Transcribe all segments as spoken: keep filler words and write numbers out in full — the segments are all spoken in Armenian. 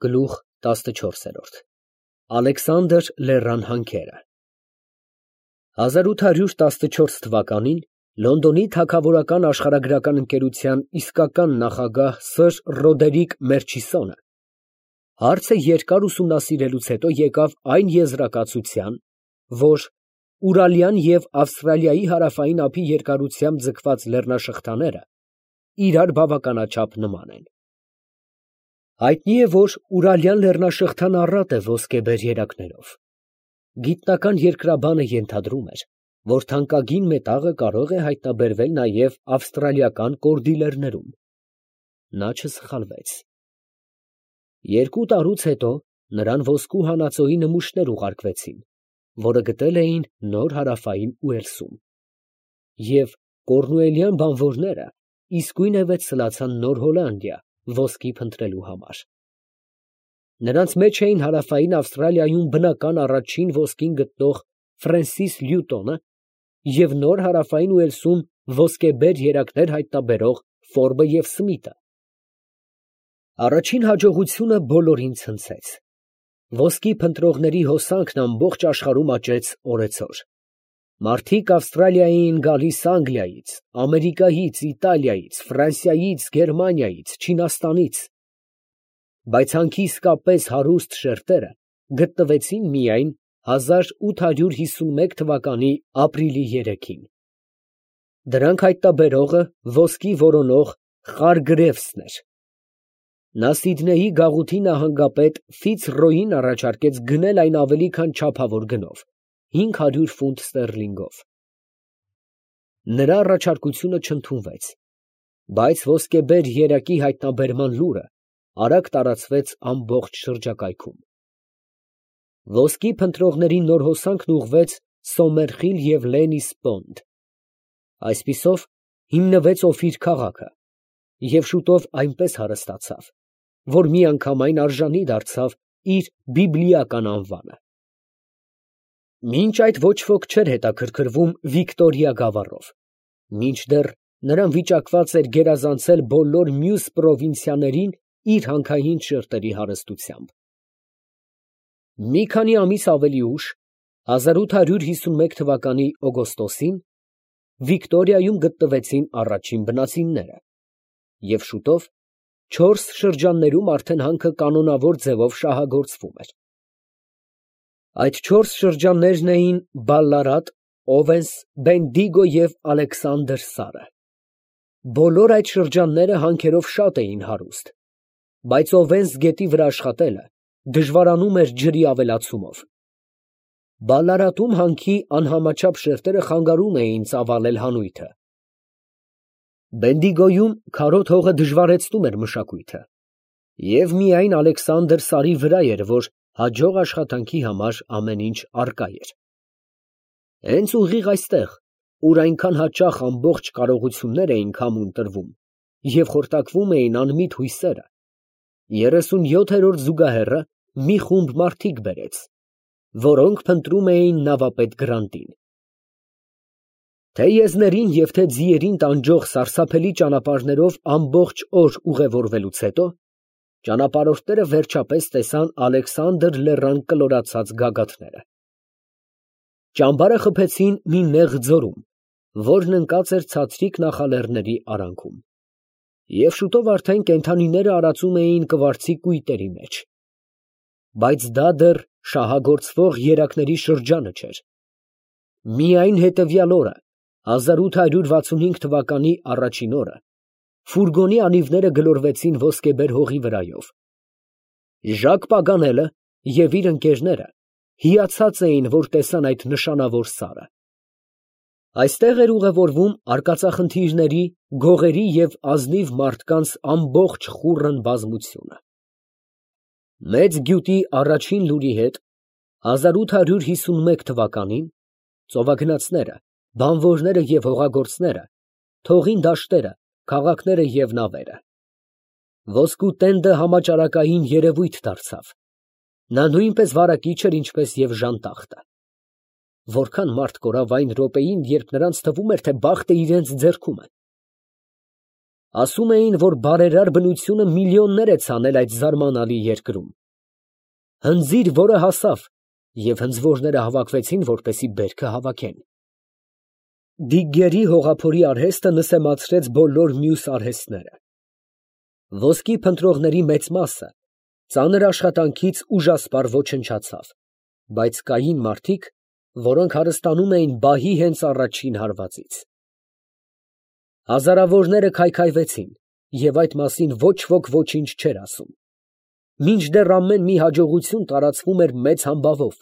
Գլուխ տասնչորս Ալեքսանդր Լեռան հանքերը հազար ութ հարյուր տասնչորս թվականին Լոնդոնի Թագավորական աշխարհագրական ընկերության իսկական նախագահ սըր Ռոդերիկ Մերչիսոնը հարցը երկար ուսումնասիրելուց հետո եկավ այն եզրակացության, որ Ուրալյան և Ավստրալիայի հարավային ափի երկարությամբ ձգված լեռնաշղթաները իրար բավականաչափ նման են։ Հայտնի է, որ Ուրալյան լեռնաշղթան առատ է ոսկեբեր երակներով։ Գիտնական երկրաբանը ենթադրում էր, որ թանկագին մետաղը կարող է հայտնաբերվել նաև ավստրալիական կորդիլերներում։ Նա չսխալվեց։ Երկու տարուց հետո նրան ոսկու հանածոյի նմուշներ ուղարկվեցին, որը գտել էին Նոր Հարավային Ուելսում, և կորնուելյան բանվորները իսկույնևեթ սլացան Նոր Հոլանդիա ոսկի փնտրելու համար։ Նրանց մեջ էին Հարավային Ավստրալիայում բնական առաջին ոսկին գտնող Ֆրենսիս Լյուտոնը և Նոր Հարավային Ուելսում ոսկեբեր երակներ հայտնաբերող Ֆորբը և Սմիթը։ Առաջին հաջողությունը բոլորին ցնցեց։ Ոսկի փնտրողների հոսանքն ամբողջ աշխարհում աճեց օրեցօր։ Մարդիկ Ավստրալիայի էին գալիս Անգլիայից, Ամերիկայից, Իտալիայից, Ֆրանսիայից, Գերմանիայից, Չինաստանից, բայց հանքի իսկապես հարուստ շերտերը գտնվեցին միայն հազար ութ հարյուր հիսունմեկ թվականի ապրիլի երեքին։ Դրանք հայտնաբերողը ոսկի որոնող Խարգրևսն էր։ Նա Սիդնեյի գաղութի նահանգապետ Ֆիցրոյին առաջարկեց գնել այն ավելի քան չափավոր գնով՝ հինգ հարյուր ֆունտ ստերլինգով։ Նրա առաջարկությունը չընդունվեց, բայց ոսկեբեր երակի հայտնաբերման լուրը արագ տարածվեց ամբողջ շրջակայքում։ Ոսկի փնտրողների նոր հոսանքն ուղղվեց Սոմերխիլ և Լենիս Պոնդ։ Այսպիսով հիմնվեց Օֆիր քաղաքը և շուտով այնպես հարստացավ, որ միանգամայն արժանի դարձավ իր բիբլիական անվանը։ Մինչ այդ ոչ ոք չէր հետաքրքրվում Վիկտորիա գավառով, մինչդեռ նրան վիճակված էր գերազանցել բոլոր մյուս պրովինցիաներին իր հանքային շերտերի հարստությամբ։ Մի քանի ամիս ավելի ուշ, հազար ութ հարյուր հիսունմեկ թվականի օգոստոսին, Վիկտորիայում գտնվեցին առաջին բնածինները, և շուտով չորս շրջաններում արդեն հանքը կանոնավոր ձևով շահագործվում էր։ Այդ չորս շրջաններն էին Բալլարատ, Օվենս, Բենդիգո և Ալեքսանդր Սարը։ Բոլոր այդ շրջանները հանքերով շատ էին հարուստ, բայց Օվենս գետի վրա աշխատելը դժվարանում էր ջրի ավելացումով։ Բալլարատում հանքի անհամաչափ շերտերը խանգարում էին ծավալել հանույթը։ Բենդիգոյում քարոտ հողը դժվարեցնում էր մշակույթը, և միայն Ալեքսանդր Սարի վրա էր, որ հաջող աշխատանքի համար ամեն ինչ առկա էր։ Հենց ուղիղ այստեղ, ուր այնքան հաճախ ամբողջ կարողություններ էին քամուն տրվում և խորտակվում էին անմիտ հույսերը, երեսունյոթերորդ զուգահեռը մի խումբ մարդիկ բերեց, որոնք փնտրում էին նավապետ Գրանտին։ Թե եզներին և թե ձիերին տանջող սարսափելի ճանապարհներով ամբողջ օր ուղևորվելուց հետո, ճանապարհորդները վերջապես տեսան Ալեքսանդր լեռան կլորացած գագաթները։ Ճամբարը խփեցին մի նեղ ձորում, որն ընկած էր ցածրիկ նախալեռների արանքում, և շուտով արդեն կենդանիները արածում էին կվարձի կույտերի մեջ։ Բայց դա դեռ շահագործվող երակների շրջանը չէր։ Միայն հետևյալ օրը, հազար ութ հարյուր վաթսունհինգ թվականի առաջին օրը, ֆուրգոնի անիվները գլորվեցին ոսկեբեր հողի վրայով։ Ժակ Պագանելը և իր ընկերները հիացած էին, որ տեսան այդ նշանավոր սարը։ Այստեղ էր ուղևորվում արկածախնդիրների, գողերի և ազնիվ մարդկանց ամբողջ խուռն բազմությունը։ Մեծ գյուտի առաջին լուրի հետ հազար ութ հարյուր հիսունմեկ թվականին ծովագնացները, բանվորները և հողագործները թողին դաշտերը, քաղաքները և նավերը։ Ոսկու տենդը համաճարակային երևույթ դարձավ։ Նա նույնպես վարակիչ էր, ինչպես և ժանտախտը։ Որքան մարդ կորավ այն րոպեին, երբ նրանց թվում էր, թե բախտը իրենց ձեռքում է։ Ասում էին, որ բարերար բնությունը միլիոններ է ցանել այդ զարմանալի երկրում։ Հնձիր, որը հասավ, և հնձվորները հավաքվեցին, որպեսզի բերքը հավաքեն։ Դիգգերի հողափորի արհեստը նսեմացրեց բոլոր մյուս արհեստները։ Ոսկի փնտրողների մեծ մասը ծանր աշխատանքից ուժասպառ ոչնչացավ, բայց կային մարդիկ, որոնք հարստանում էին բահի հենց առաջին հարվածից։ Հազարավորները քայքայվեցին, և այդ մասին ոչ ոք ոչինչ չէր ասում։ Մինչդեռ ամեն մի հաջողություն տարածվում էր մեծ համբավով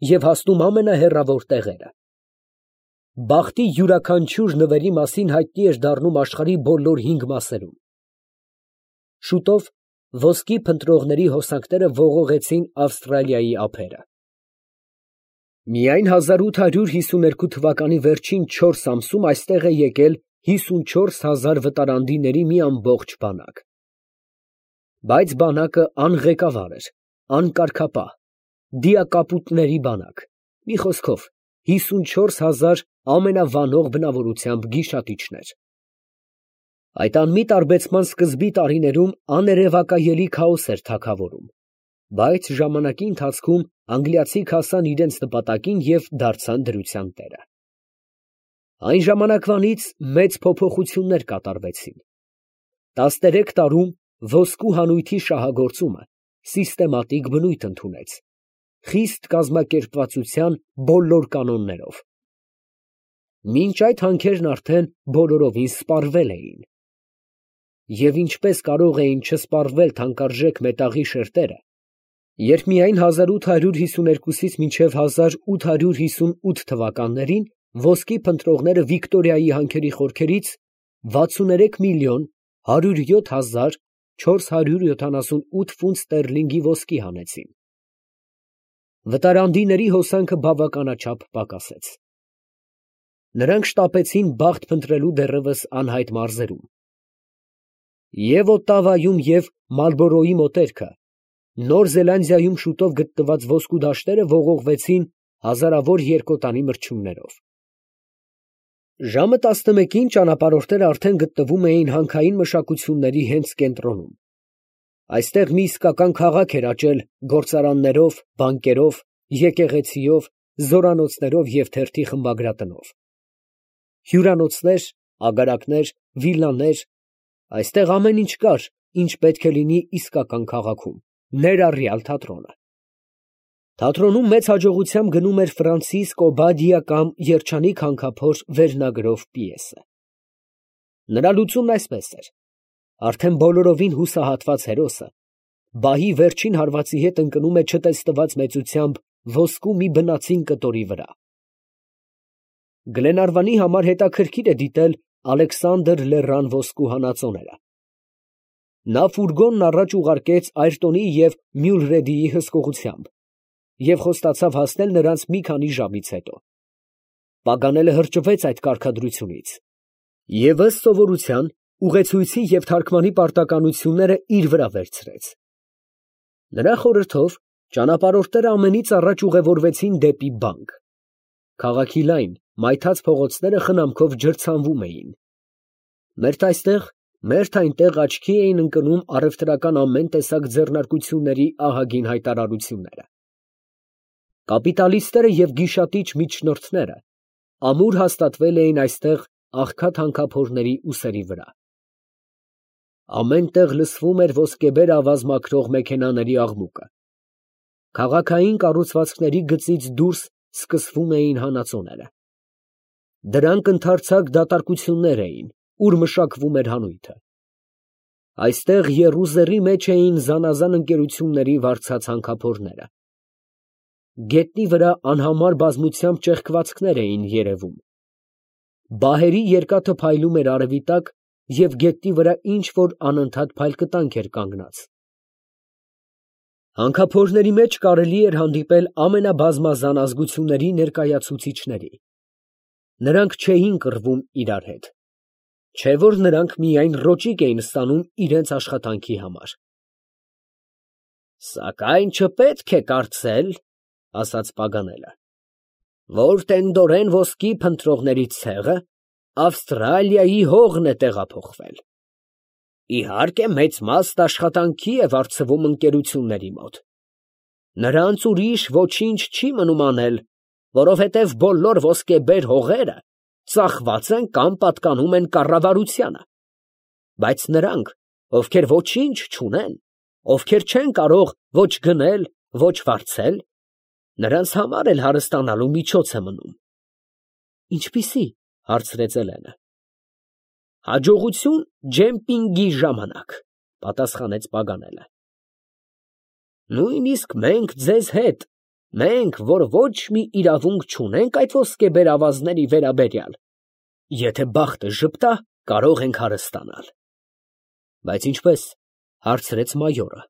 և հասնում ամենահեռավոր տեղերը։ Բախտի յուրաքանչյուր նվերի մասին հայտնի էր դառնում աշխարհի բոլոր հինգ մասերում։ Շուտով ոսկի փնտրողների հոսանքները ողողեցին Ավստրալիայի ափերը։ Միայն հազար ութ հարյուր հիսուներկու թվականի վերջին չորս ամսում այստեղ է եկել հիսունչորս հազար վտարանդիների մի ամբողջ բանակ։ Բայց բանակը անղեկավար էր, անկարգապահ, դիակապուտների բանակ, մի խոսքով, հիսունչորս հազար ամենավանող բնավորությամբ գիշատիչներ։ Այդ անմիտ արբեցման սկզբի տարիներում աներևակայելի քաոս էր թագավորում, բայց ժամանակի ընթացքում անգլիացիք հասան իրենց նպատակին և դարձան դրության տերը։ Այն ժամանակվանից մեծ փոփոխություններ կատարվեցին։ Տասներեք տարում ոսկու հանույթի շահագործումը սիստեմատիկ բնույթ ընդունեց, խիստ կազմակերպվածության բոլոր կանոններով։ Մինչ այդ հանքերն արդեն բոլորովին սպառվել էին։ Եվ ինչպես կարող էին չսպառվել թանկարժեք մետաղի շերտերը, երբ միայն հազար ութ հարյուր հիսուներկուից մինչև հազար ութ հարյուր հիսունութ թվականներին ոսկի փնտրողները Վիկտորիայի հանքերի խորքերից վաթսուներեք միլիոն հարյուր յոթ հազար չորս հարյուր յոթանասունութ ֆունտ ստերլինգի ոսկի հանեցին։ Վտարանդիների հոսանքը բավականաչափ պակասեց։ Նրանք շտապեցին բախտ փնտրելու դեռևս անհայտ մարզերում։ Եվ Օտավայում և Մալբորոյի մոտերքը, Նոր Զելանդիայում շուտով գտնված ոսկու դաշտերը ողողվեցին հազարավոր երկոտանի մրջյուններով։ Ժամը տասնմեկին ճանապարհորդները արդեն գտնվում էին հանքային մշակությունների հենց կենտրոնում։ Այստեղ մի իսկական քաղաք էր աճել գործարաններով, բանկերով, եկեղեցիով, զորանոցներով և թերթի խմբագրատնով։ Հյուրանոցներ, ագարակներ, վիլլաներ, այստեղ ամեն ինչ կար, ինչ պետք է լինի իսկական քաղաքում, ներառյալ թատրոնը։ Թատրոնում մեծ հաջողությամբ գնում էր Ֆրանցիսկ Օբադիա կամ Երջանիկ հանքափոր վերնագրով պիեսը։ Նրա լուծումն այսպես էր. արդեն բոլորովին հուսահատված հերոսը բահի վերջին հարվածի հետ ընկնում է չտեսնված մեծությամբ ոսկու մի բնածին կտորի վրա։ Գլենարվանի համար հետաքրքիր է դիտել Ալեքսանդր Լեռան ոսկու հանածոները։ Նա ֆուրգոնն առաջ ուղարկեց Այրտոնի և Մյուլրեդիի հսկողությամբ և խոստացավ հասնել նրանց մի քանի ժամից հետո։ Պագանելը հրճվեց այդ կարգադրությունից և ըստ սովորության ուղեցույցի և թարգմանի պարտականությունները իր վրա վերցրեց։ Նրա խորհրդով ճանապարհորդները ամենից առաջ ուղևորվեցին դեպի բանկ։ Քաղաքի լայն, մայթած փողոցները խնամքով ջրցանվում էին։ Մերթ այստեղ, մերթ այնտեղ աչքի էին ընկնում առևտրական ամեն տեսակ ձեռնարկությունների ահագին հայտարարությունները։ Կապիտալիստները և գիշատիչ միջնորդները ամուր հաստատվել էին այստեղ աղքատ հանքափորների ուսերի վրա։ Ամեն տեղ լսվում էր ոսկեբեր ավազ մաքրող մեքենաների աղմուկը։ Քաղաքային կառուցվածքների գծից դուրս սկսվում էին հանածոները։ Դրանք ընդարձակ դատարկություններ էին, ուր մշակվում էր հանույթը։ Այստեղ եռուզեռի մեջ էին զանազան ընկերությունների վարձած հանքափորները։ Գետնի վրա անհամար բազմությամբ ճեղքվածքներ էին երևում։ Բահերի երկաթը փայլում էր արևի տակ և գետնի վրա ինչ֊որ անընդհատ փայլկտանք էր կանգնած։ Հանքափորների մեջ կարելի էր հանդիպել ամենաբազմազան ազգությունների ներկայացուցիչների։ Նրանք չէին կռվում իրար հետ, չէ որ նրանք միայն ռոճիկ էին ստանում իրենց աշխատանքի համար։ «Սակայն չպետք է կարծել, ֊ ասաց Պագանելը, ֊ որ տենդորեն ոսկի փնտրողների ցեղը Ավստրալիայի հողն է տեղափոխվել։ Իհարկե, մեծ մաս աշխատանքի է վարձվում ընկերությունների մոտ։ Նրանց ուրիշ ոչինչ չի մնում անել, որովհետև բոլոր ոսկեբեր հողերը ծախված են կամ պատկանում են կառավարությանը։ Բայց նրանք, ովքեր ոչինչ չունեն, ովքեր չեն կարող ոչ գնել, ոչ վարձել, նրանց համար էլ հարստանալու միջոց է մնում։ Ինչպիսի՞, հարցրեց Էլենը։ Հաջողություն ջեմպինգի ժամանակ, պատասխանեց Պագանելը։ Նույնիսկ մենք ձեզ հետ, մենք, որ ոչ մի իրավունք չունենք այդ ոսկեբեր ավազների վերաբերյալ, եթե բախտը ժպտա, կարող ենք հարստանալ։ Բայց ինչպես, հարցրեց մայորը։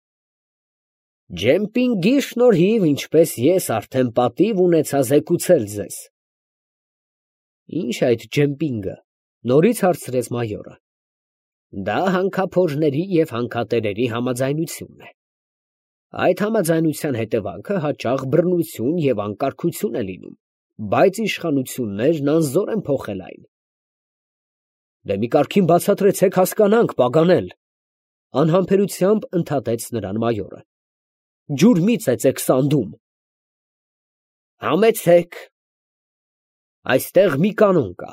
Ջեմպինգի շնորհիվ, ինչպես ես արդեն պատիվ ունեցա զեկուցել ձեզ։ Ինչ է այդ ջեմպինգը, նորից հարցրեց մայորը։ Դա հանքափորների և հանքատերերի համաձայնությունն է։ Այդ համաձայնության հետևանքը հաճախ բռնություն և անկարգություն է լինում, բայց իշխանություններն անզոր են փոխել այն։ Դե մի կարգին բացատրեցեք հասկանանք, Պագանել, անհամբերությամբ ընդհատեց նրան մայորը։ Ջուրմի ծեծեք սանդում։ Համեցեք։ Այստեղ մի կանոն կա,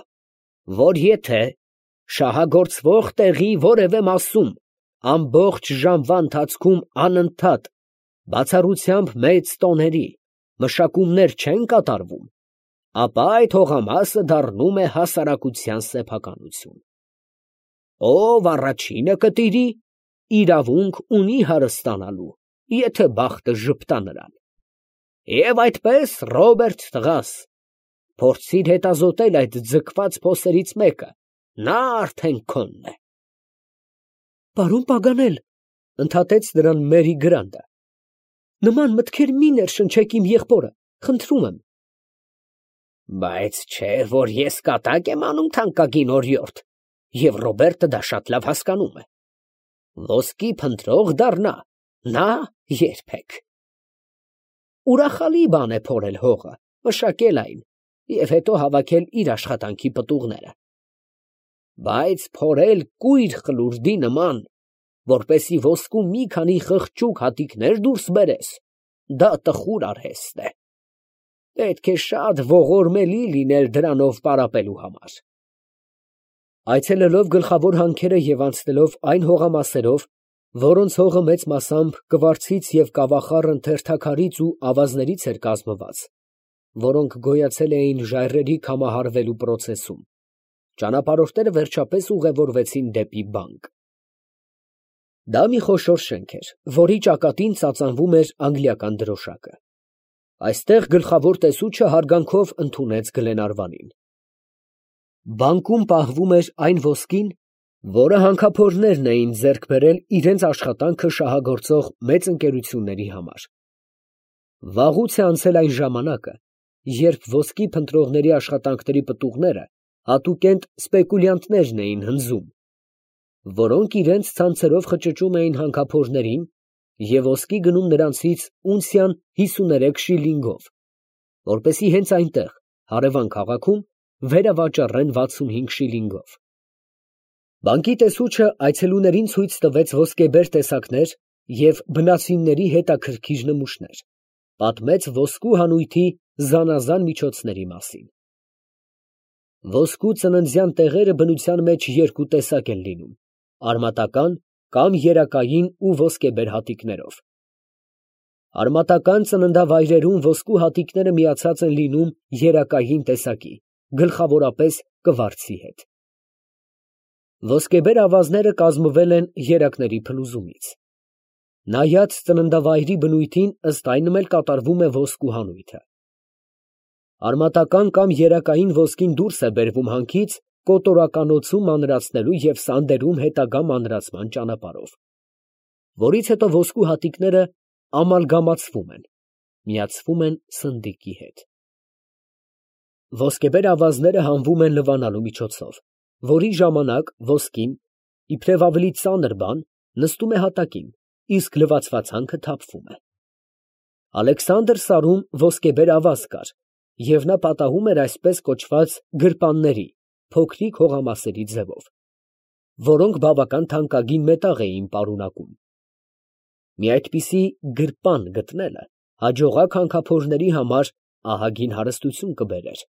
որ եթե շահագործվող տեղի որևէ մասում ամբողջ ժամվա ընթացքում անընդհատ բացառությամբ մեծ տոների մշակումներ չեն կատարվում, ապա այդ հողամասը դառնում է հասարակության սեփականություն։ Ով առաջինը կտիրի, իրավունք ունի հարստանալու, եթե բախտը ժպտա նրան։ Եվ այդպես, Ռոբերտ տղաս, փորձիր հետազոտել այդ ձգված փոսերից մեկը, նա արդեն քոնն է։ Պարոն Պագանել, ընդհատեց նրան Մերի Գրանտը, նման մտքեր մի ներշնչեք իմ եղբորը, խնդրում եմ։ Բայց չէ, որ ես կատակ եմ անում թանկագին օրիորդ, և Ռոբերտը դա շատ լավ հասկանում է։ Ոսկի փնտրող դառնա, նա երբեք։ Ուրախալի բան է փորել հողը, մշակել այն և հետո հավաքել իր աշխատանքի պտուղները։ Բայց փորել կույր խլուրդի նման, որպեսի ոսկու մի քանի խղճուկ հատիկներ դուրս բերես, դա տխուր արհեստ է։ Պետք է շատ ողորմելի լինել դրանով պարապելու համար։ Այցելելով գլխավոր հանքերը և անցնելով այն հողամասերով, որոնց հողը մեծ մասամբ կվարցից և կավախառն թերթաքարից ու ավազներից էր կազմված, որոնք գոյացել էին ժայռերի կամահարվելու պրոցեսում, ճանապարհորդները վերջապես ուղևորվեցին դեպի բանկ։ Դա մի խոշոր շենք էր, որի ճակատին ծածանվում էր անգլիական դրոշակը։ Այստեղ գլխավոր տեսուչը հարգանքով ընդունեց Գլենարվանին։ Բանկում պահվում էր այն ոսկին, որը հանքափորներն էին ձեռք բերել իրենց աշխատանքը շահագործող մեծ ընկերությունների համար։ Վաղուց է անցել այն ժամանակը, երբ ոսկի փնտրողների աշխատանքների պտուղները հատուկենտ սպեկուլյանտներն էին հնձում, որոնք իրենց ցանցերով խճճում էին հանքափորներին և ոսկի գնում նրանցից ունցիան հիսուներեք շիլինգով, որպեսզի հենց այնտեղ, հարևան քաղաքում, վերավաճառեն վաթսունհինգ շիլինգով։ Բանկի տեսուչը այցելուներին ցույց տվեց ոսկեբեր տեսակներ և բնածինների հետաքրքիր նմուշներ, պատմեց ոսկու հանույթի զանազան միջոցների մասին։ Ոսկու ծննդյան տեղերը բնության մեջ երկու տեսակ են լինում, արմատական կամ երակային ու ոսկեբեր հատիկներով։ Արմատական ծննդավայրերում ոսկու հատիկները միացած են լինում երակային տեսակի, գլխավորապես կվարձի հետ։ Ոսկեբեր ավազները կազմվել են երակների փլուզումից։ Նայած ծննդավայրի բնույթին, ըստ այնմ էլ կատարվում է ոսկու հանույթը։ Արմատական կամ երակային ոսկին դուրս է բերվում հանքից կոտորականոցում մանրացնելու և սանդերում հետագա մանրացման ճանապարհով, որից հետո ոսկու հատիկները ամալգամացվում են, միացվում են սնդիկի հետ։ Ոսկեբեր ավազները հանվում են լվանալու միջոցով, որի ժամանակ ոսկին, իբրև ավելի ծանր բան, նստում է հատակին, իսկ լվացված հանքը թափվում է։ Ալեքսանդր սարում ոսկեբեր ավազ կար, և նա պատահում էր այսպես կոչված գրպանների, փոքրիկ հողամասերի ձևով։ որոնք բավական թանկագին մետաղ էին պարունակում։ Մի այդպիսի գրպան գտնելը հաջողակ հանքափորների համար ահագին հարստություն կբերեր։